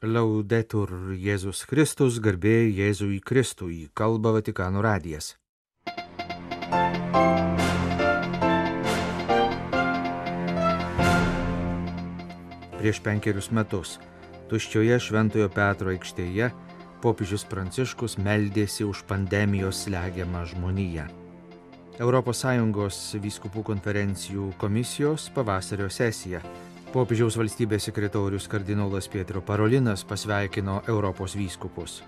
Laudetur Jėzus Kristus, garbė Jėzui Kristui, kalba Vatikano radijas. Prieš 5 metus tuščioje Šventojo Petro aikštėje popiežius Pranciškus meldėsi už pandemijos slegiamą žmoniją. ES vyskupų konferencijų komisijos pavasario sesija. Popiežiaus valstybės sekretorius kardinolas Pietro Parolinas pasveikino Europos vyskupus.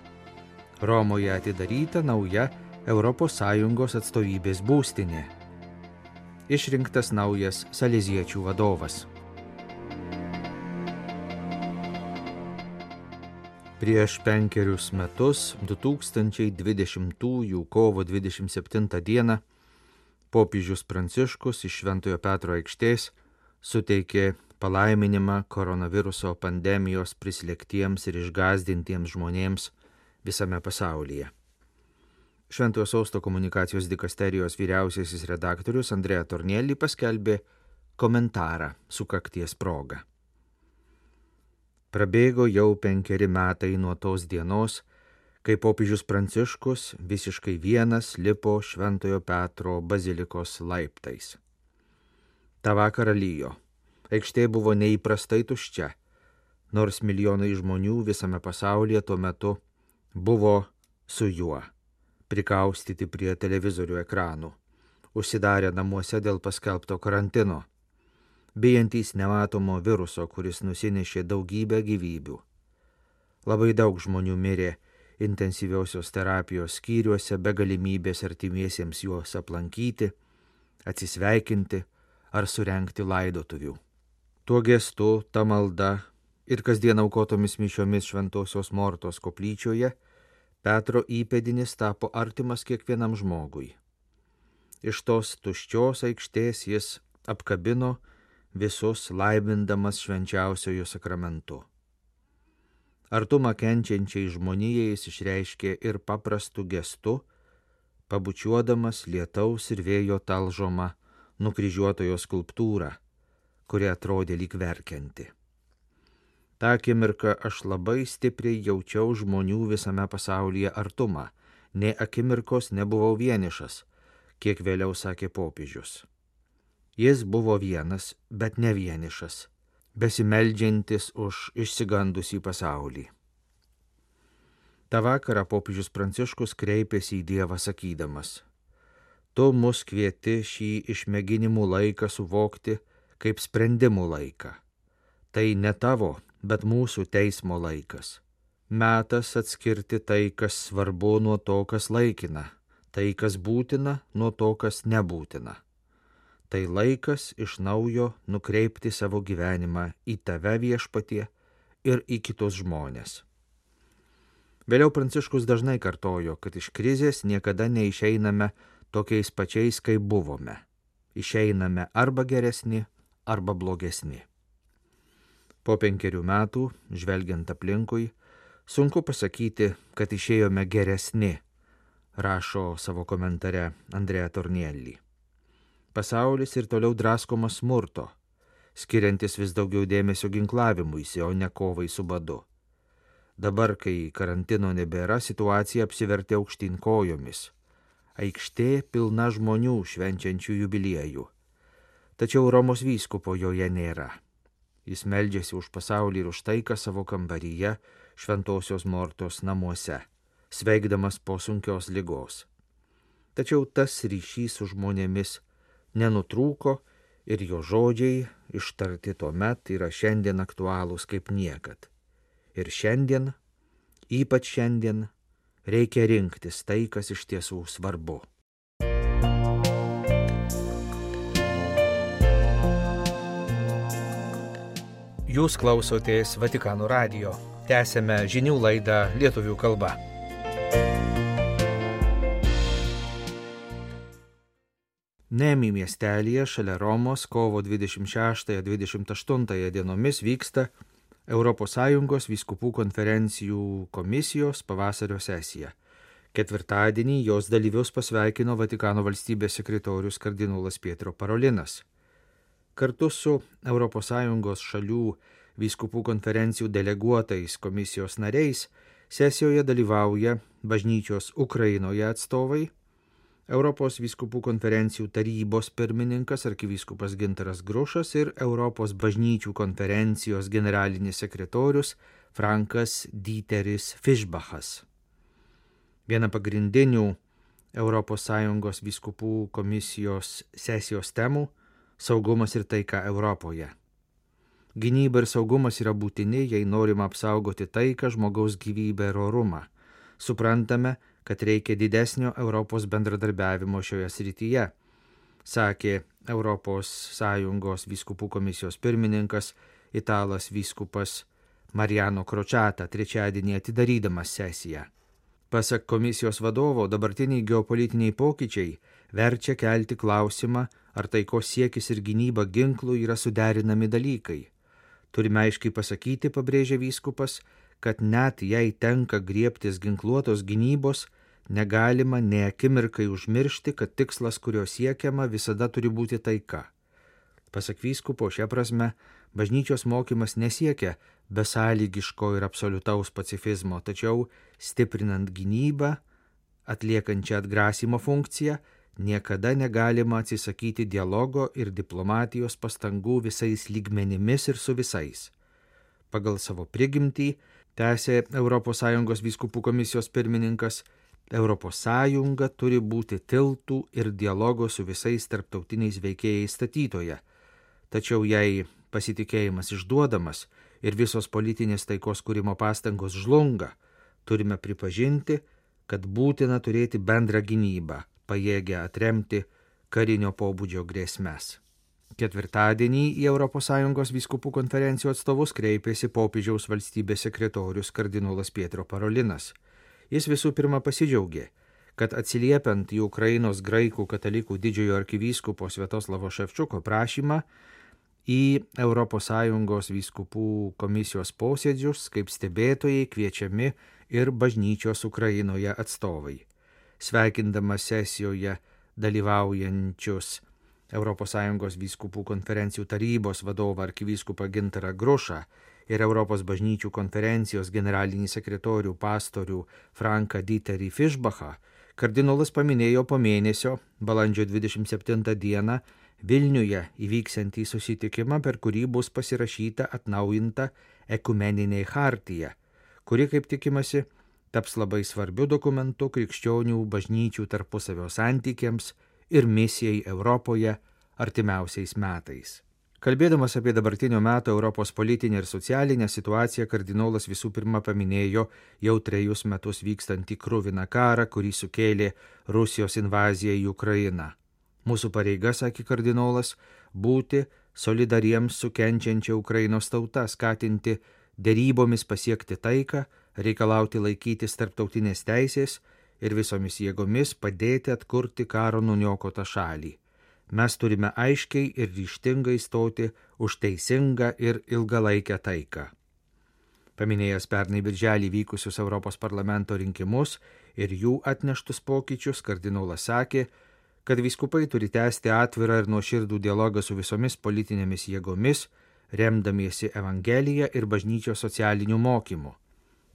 Romoje atidaryta nauja ES atstovybės būstinė. Išrinktas naujas saleziečių vadovas. Prieš 5 metus, 2020 kovo 27 dieną, popiežius Pranciškus iš Šventojo Petro aikštės suteikė palaiminimą koronaviruso pandemijos prislėgtiems ir išgąsdintiems žmonėms visame pasaulyje. Šventojo Sosto komunikacijos dikasterijos vyriausiasis redaktorius Andrea Tornielli paskelbė komentarą sukakties proga. Prabėgo jau 5 metai nuo tos dienos, kai popiežius Pranciškus visiškai vienas lipo Šventojo Petro bazilikos laiptais. Ta vakarą lijo. Aikštė buvo neįprastai tuščia, nors milijonai žmonių visame pasaulyje tuo metu buvo su juo, prikaustyti prie televizorių ekranų, užsidarę namuose dėl paskelbto karantino, bijantys nematomo viruso, kuris nusinešė daugybę gyvybių. Labai daug žmonių mirė intensyviosios terapijos skyriuose be galimybės artimiesiems juos aplankyti, atsisveikinti ar surengti laidotuvių. Tuo gestu, ta malda ir kasdien aukotomis mišiomis Šventosios Mortos koplyčioje Petro įpėdinis tapo artimas kiekvienam žmogui. Iš tos tuščios aikštės jis apkabino visus laimindamas švenčiausiojo sakramentu. Artumą kenčiančiai žmonijai jis išreiškė ir paprastu gestu, pabučiuodamas lietaus ir vėjo talžomą nukryžiuotojo skulptūrą, kuri atrodė lyg verkianti. Ta akimirka aš labai stipriai jaučiau žmonių visame pasaulyje artumą, nė akimirkos nebuvau vienišas, kiek vėliau sakė popiežius. Jis buvo vienas, bet ne vienišas, besimeldžiantis už išsigandusį pasaulį. Ta vakarą popiežius Pranciškus kreipėsi į Dievą sakydamas: Tu mus kvieti šį išmėginimų laiką suvokti kaip sprendimų laiką. Tai ne tavo, bet mūsų teismo laikas. Metas atskirti tai, kas svarbu, nuo to, kas laikina, tai, kas būtina, nuo to, kas nebūtina. Tai laikas iš naujo nukreipti savo gyvenimą į tave, Viešpatie, ir į kitus žmones. Vėliau Pranciškus dažnai kartojo, kad iš krizės niekada neišeiname tokiais pačiais, kaip buvome. Išeiname arba geresni, arba blogesni. Po 5 metų, žvelgiant aplinkui, sunku pasakyti, kad išėjome geresni, rašo savo komentare Andrea Tornielli. Pasaulis ir toliau draskomas smurto, skiriantis vis daugiau dėmesio ginklavimuisi, o ne kovai su badu. Dabar, kai karantino nebėra, situacija apsivertė aukštyn kojomis. Aikštė pilna žmonių švenčiančių jubiliejų. Tačiau Romos vyskupo joje nėra. Jis meldžiasi už pasaulį ir už taiką savo kambaryje Šventosios Mortos namuose, sveikdamas po sunkios ligos. Tačiau tas ryšys su žmonėmis nenutrūko ir jo žodžiai ištarti tuomet yra šiandien aktualūs kaip niekad. Ir šiandien, ypač šiandien, reikia rinktis tai, kas iš tiesų svarbu. Jūs klausotės Vatikano radijo. Tęsiame žinių laidą lietuvių kalba. Nemi miestelyje šalia Romos kovo 26-28 dienomis vyksta ES vyskupų konferencijų komisijos pavasario sesija. Ketvirtadienį jos dalyvius pasveikino Vatikano valstybės sekretorius kardinolas Pietro Parolinas. Kartu su ES šalių vyskupų konferencijų deleguotais komisijos nariais sesijoje dalyvauja bažnyčios Ukrainoje atstovai, Europos vyskupų konferencijų tarybos pirmininkas arkivyskupas Gintaras Grušas ir Europos bažnyčių konferencijos generalinis sekretorius Frankas Dieteris Fischbachas. Viena pagrindinių ES vyskupų komisijos sesijos temų – saugumas ir taika Europoje. Gynyba ir saugumas yra būtini, jei norima apsaugoti taiką, žmogaus gyvybę ir orumą. Suprantame, kad reikia didesnio Europos bendradarbiavimo šioje srityje, sakė ES vyskupų komisijos pirmininkas italas vyskupas Mariano Crociata trečiadienį atidarydamas sesiją. Pasak komisijos vadovo, dabartiniai geopolitiniai pokyčiai verčia kelti klausimą, ar taikos siekis ir gynyba ginklų yra suderinami dalykai. Turime aiškiai pasakyti, pabrėžė vyskupas, kad net jei tenka griebtis ginkluotos gynybos, negalima nė akimirkai užmiršti, kad tikslas, kurio siekiama, visada turi būti taika. Pasak vyskupo, šia prasme, bažnyčios mokymas nesiekia besąlygiško ir absoliutaus pacifizmo, tačiau stiprinant gynybą, atliekančią atgrasymo funkciją, niekada negalima atsisakyti dialogo ir diplomatijos pastangų visais lygmenimis ir su visais. Pagal savo prigimtį, tęsė ES vyskupų komisijos pirmininkas, ES turi būti tiltų ir dialogo su visais tarptautiniais veikėjais statytoje. Tačiau jei pasitikėjimas išduodamas ir visos politinės taikos kūrimo pastangos žlunga, turime pripažinti, kad būtina turėti bendrą gynybą, pajėgę atremti karinio pobūdžio grėsmes. Ketvirtadienį į ES vyskupų konferencijų atstovus kreipėsi popiežiaus valstybės sekretorius kardinolas Pietro Parolinas. Jis visų pirma pasidžiaugė, kad atsiliepiant į Ukrainos graikų katalikų didžiojo arkivyskupo Sviatoslavo Ševčiuko prašymą į ES vyskupų komisijos posėdžius kaip stebėtojai kviečiami ir bažnyčios Ukrainoje atstovai. Sveikindamas sesijoje dalyvaujančius ES vyskupų konferencijų tarybos vadovą arkivyskupą Gintarą Grušą ir Europos bažnyčių konferencijos generalinį sekretorių pastorių Franką Dieterį Fischbachą, kardinolas paminėjo po mėnesio, balandžio 27 dieną, Vilniuje įvyksiantį susitikimą, per kurį bus pasirašyta atnaujinta ekumeninė chartija, kuri, kaip tikimasi, taps labai svarbiu dokumentu krikščionių bažnyčių tarpusavio santykiams ir misijai Europoje artimiausiais metais. Kalbėdamas apie dabartinio meto Europos politinę ir socialinę situaciją, kardinolas visų pirma paminėjo jau 3 metus vykstantį kruviną karą, kurį sukėlė Rusijos invazija į Ukrainą. Mūsų pareiga, sakė kardinolas, būti solidariems su kenčiančia Ukrainos tauta, skatinti derybomis pasiekti taiką, reikalauti laikytis tarptautinės teisės ir visomis jėgomis padėti atkurti karo nuniokotą šalį. Mes turime aiškiai ir ryžtingai stoti už teisingą ir ilgalaikę taiką. Paminėjęs pernai birželį vykusius Europos parlamento rinkimus ir jų atneštus pokyčius, kardinolas sakė, kad vyskupai turi tęsti atvirą ir nuoširdų dialogą su visomis politinėmis jėgomis, remdamiesi Evangeliją ir bažnyčios socialiniu mokymu.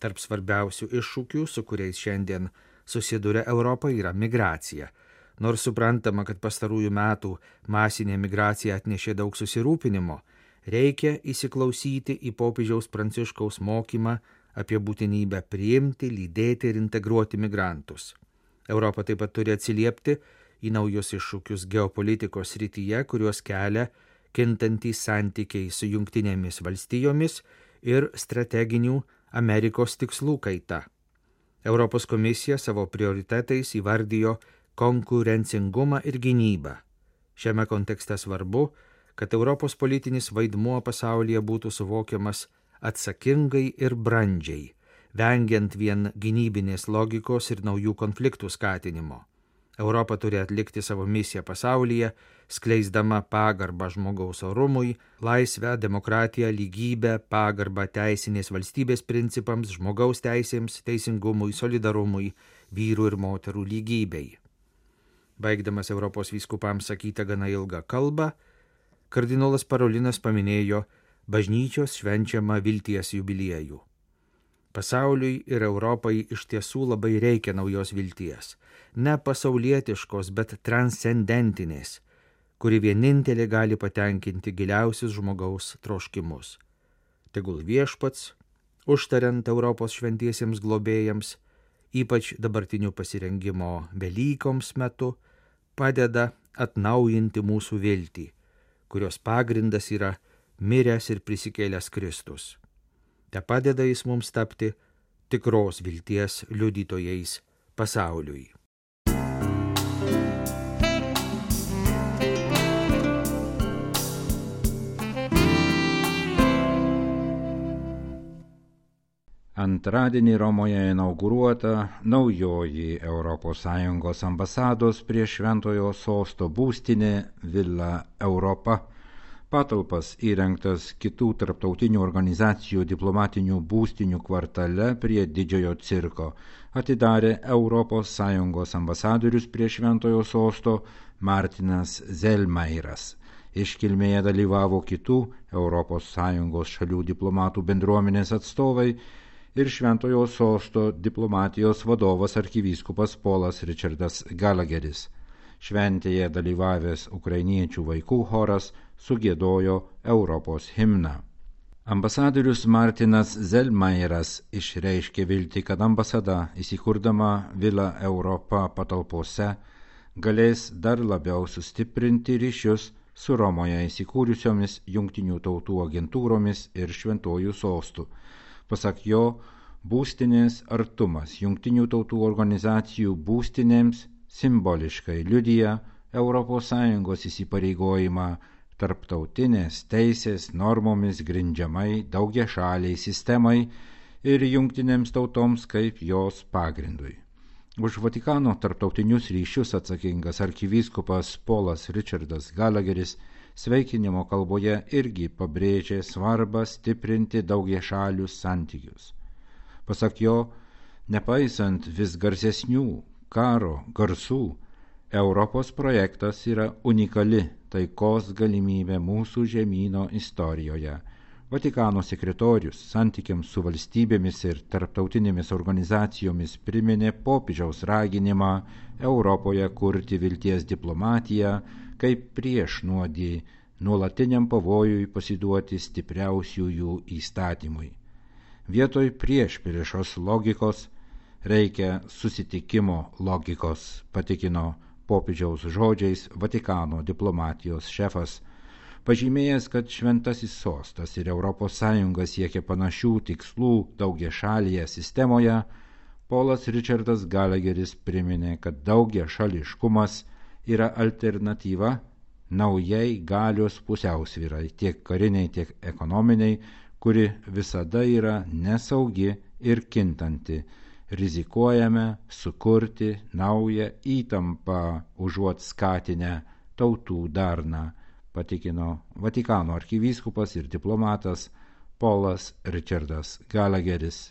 Tarp svarbiausių iššūkių, su kuriais šiandien susiduria Europa, yra migracija. Nors suprantama, kad pastarųjų metų masinė migracija atnešė daug susirūpinimo, reikia įsiklausyti į popiežiaus Pranciškaus mokymą apie būtinybę priimti, lydėti ir integruoti migrantus. Europa taip pat turi atsiliepti į naujus iššūkius geopolitikos srityje, kuriuos kelia kintantys santykiai su Jungtinėmis valstijomis ir strateginių Amerikos tikslų kaita. Europos komisija savo prioritetais įvardijo konkurencingumą ir gynybą. Šiame kontekste svarbu, kad Europos politinis vaidmuo pasaulyje būtų suvokiamas atsakingai ir brandžiai, vengiant vien gynybinės logikos ir naujų konfliktų skatinimo. Europa turi atlikti savo misiją pasaulyje, skleisdama pagarbą žmogaus orumui, laisvę, demokratiją, lygybę, pagarbą teisinės valstybės principams, žmogaus teisėms, teisingumui, solidarumui, vyrų ir moterų lygybei. Baigdamas Europos vyskupams sakytą gana ilgą kalbą, kardinolas Parolinas paminėjo bažnyčios švenčiamą vilties jubiliejų. Pasauliui ir Europai iš tiesų labai reikia naujos vilties, ne pasaulietiškos, bet transcendentinės, kuri vienintelė gali patenkinti giliausius žmogaus troškimus. Tegul viešpats, užtariant Europos šventiesiems globėjams, ypač dabartiniu pasirengimo Velykoms metu, padeda atnaujinti mūsų viltį, kurios pagrindas yra miręs ir prisikėlęs Kristus. Te padeda jis mums tapti tikros vilties liudytojais pasauliui. Antradienį Romoje inauguruota naujoji ES ambasados prie Šventojo Sosto būstinė Villa Europa. Patalpas įrengtas kitų tarptautinių organizacijų diplomatinių būstinių kvartale prie Didžiojo cirko atidarė ES ambasadorius prie Šventojo Sosto Martinas Zelmairas. Iškilmėje dalyvavo kitų ES šalių diplomatų bendruomenės atstovai ir Šventojo Sosto diplomatijos vadovas arkivyskupas Polas Richardas Gallagheris. Šventėje dalyvavęs ukrainiečių vaikų choras sugiedojo Europos himną. Ambasadorius Martinas Zelmairas išreiškė viltį, kad ambasada įsikurdama Villa Europa patalpose galės dar labiau sustiprinti ryšius su Romoje įsikūrusiomis Jungtinių tautų agentūromis ir Šventuoju Sostu. Pasak jo, būstinės artumas Jungtinių tautų organizacijų būstinėms simboliškai liudija ES įsipareigojimą tarptautinės teisės normomis grindžiamai daugiašaliai sistemai ir jungtinėms tautoms kaip jos pagrindui. Už Vatikano tarptautinius ryšius atsakingas arkivyskupas Polas Richardas Gallagheris sveikinimo kalboje irgi pabrėžė svarbą stiprinti daugiašalius santykius. Pasak jo, nepaisant vis garsesnių karo garsų, Europos projektas yra unikali taikos galimybė mūsų žemyno istorijoje. Vatikano sekretorius santykiams su valstybėmis ir tarptautinėmis organizacijomis priminė popiežiaus raginimą Europoje kurti vilties diplomatiją kaip priešnuodį nuolatiniam pavojui pasiduoti stipriausiųjų įstatymui. Vietoj priešpriešos logikos reikia susitikimo logikos, patikino popiežiaus žodžiais Vatikano diplomatijos šefas, pažymėjęs, kad Šventasis Sostas ir ES siekia panašių tikslų daugiašalėje sistemoje. Polas Richardas Gallagheris priminė, kad daugiašališkumas yra alternatyva naujai galios pusiausvyrai, tiek kariniai, tiek ekonominiai, kuri visada yra nesaugi ir kintanti. Rizikuojame sukurti naują įtampą užuot skatinę tautų darną, patikino Vatikano arkivyskupas ir diplomatas Polas Richardas Gallagheris.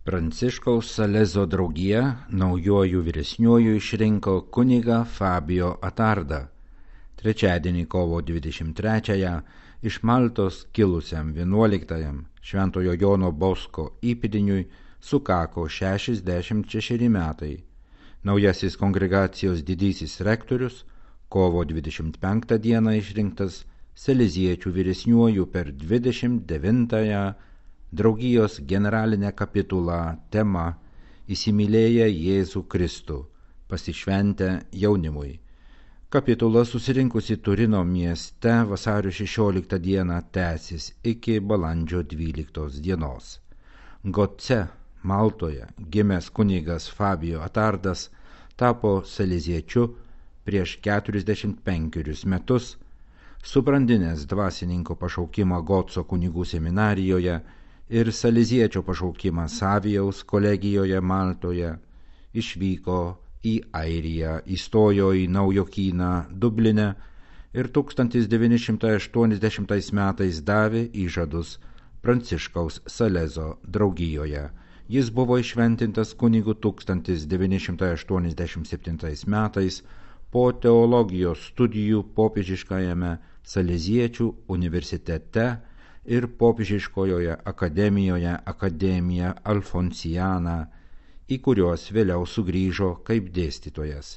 Pranciškaus Salezo draugija naujuoju vyresniuoju išrinko kunigą Fabio Atardą. Trečiadienį kovo 23-ąją iš Maltos kilusiam 11-ajam Šventojo Jono Bosko įpėdiniui sukako 66 metai. Naujasis kongregacijos didysis rektorius kovo 25 dieną išrinktas Saleziečių vyresniuoju per 29-ąją draugijos generalinę kapitulą tema Įsimylėję Jėzų Kristų, pasišventę jaunimui. Kapitula susirinkusi Turino mieste vasario 16 dieną tęsis iki balandžio 12 dienos. Goce, Maltoje, gimęs kunigas Fabio Atardas tapo saleziečiu prieš 45 metus, subrandinęs dvasininko pašaukimą Goco kunigų seminarijoje ir saleziečio pašaukimą Savijaus kolegijoje Maltoje, išvyko į Airiją, įstojo į Naujokyną Dubline ir 1980 metais davė įžadus Pranciškaus Salezo draugijoje. Jis buvo įšventintas kunigu 1987 metais po teologijos studijų popiežiškajame Saleziečių universitete ir popiežiškojoje akademijoje Academia Alfonsiana, į kuriuos vėliau sugrįžo kaip dėstytojas.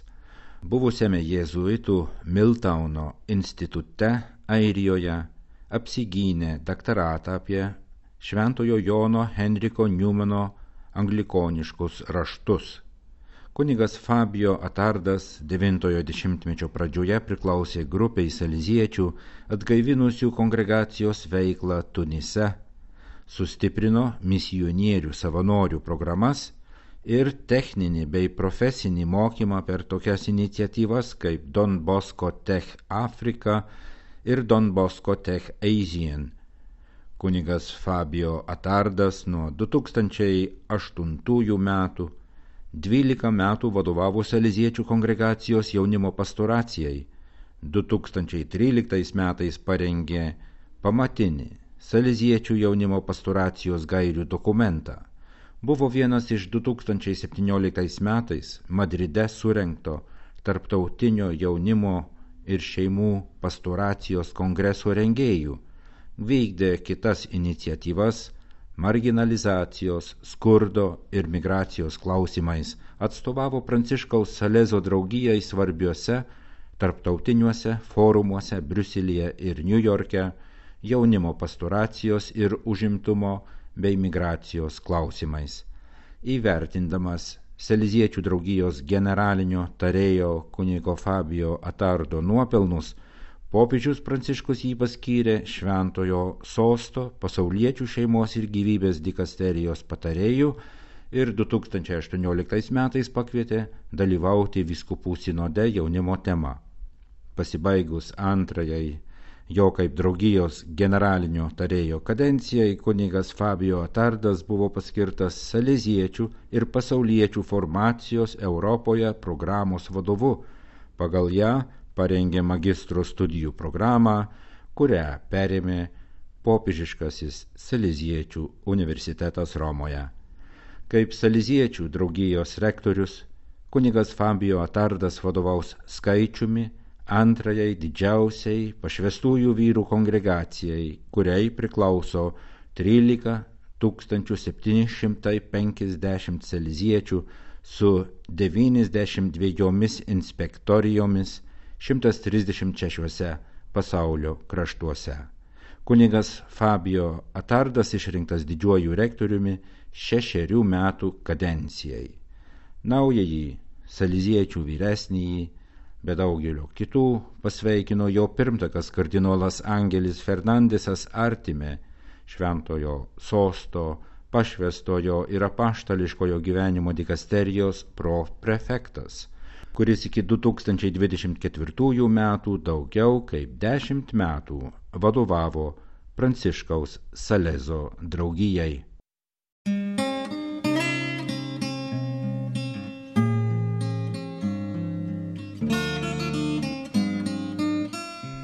Buvusiame jėzuitų Miltauno institute Airijoje apsigynė daktaratą apie Šventojo Jono Henriko Newmano anglikoniškus raštus. Kunigas Fabio Atardas 9-ojo dešimtmečio pradžioje priklausė grupiai saleziečių atgaivinusių kongregacijos veiklą Tunise, sustiprino misionierių savanorių programas ir techninį bei profesinį mokymą per tokias iniciatyvas kaip Don Bosco Tech Africa ir Don Bosco Tech Asian. Kunigas Fabio Atardas nuo 2008 metų 12 metų vadovavo saleziečių kongregacijos jaunimo pastoracijai. 2013 metais parengė pamatinį saleziečių jaunimo pastoracijos gairių dokumentą. Buvo vienas iš 2017 metais Madride surengto tarptautinio jaunimo ir šeimų pastoracijos kongreso rengėjų. Vykdė kitas iniciatyvas marginalizacijos, skurdo ir migracijos klausimais, atstovavo Pranciškaus Salezo draugijai svarbiuose tarptautiniuose forumuose Briuselyje ir Niujorke jaunimo pastoracijos ir užimtumo bei migracijos klausimais. Įvertindamas Saleziečių draugijos generalinio tarėjo kunigo Fabio Atardo nuopelnus, popiežius Pranciškus jį paskyrė Šventojo Sosto pasauliečių šeimos ir gyvybės dikasterijos patarėjų ir 2018 metais pakvietė dalyvauti vyskupų sinode jaunimo tema. Pasibaigus antrajai jo kaip draugijos generalinio tarėjo kadencijai, kunigas Fabio Atardas buvo paskirtas saleziečių ir pasauliečių formacijos Europoje programos vadovu. Pagal ją parengė magistro studijų programą, kurią perėmė popiežiškasis Saleziečių universitetas Romoje. Kaip Saleziečių draugijos rektorius, kunigas Fabio Atardas vadovaus skaičiumi antrajai didžiausiai pašvestųjų vyrų kongregacijai, kuriai priklauso 13 750 saleziečių su 92 inspektorijomis 136 pasaulio kraštuose. Kunigas Fabio Atardas išrinktas didžiuoju rektoriumi 6 metų kadencijai. Naująjį saleziečių vyresnįjį, be daugelio kitų, pasveikino jo pirmtakas kardinolas Angelis Fernandesas Artime, Šventojo Sosto, pašvestojo ir apaštališkojo gyvenimo dikasterijos prefektas, kuris iki 2024 metų daugiau kaip 10 metų vadovavo Pranciškaus Salezo draugijai.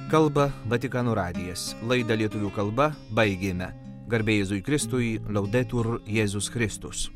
Kalba Vatikano radijas. Laidą lietuvių kalba baigėme. Garbė Jėzui Kristui, Laudetur Jėzus Kristus.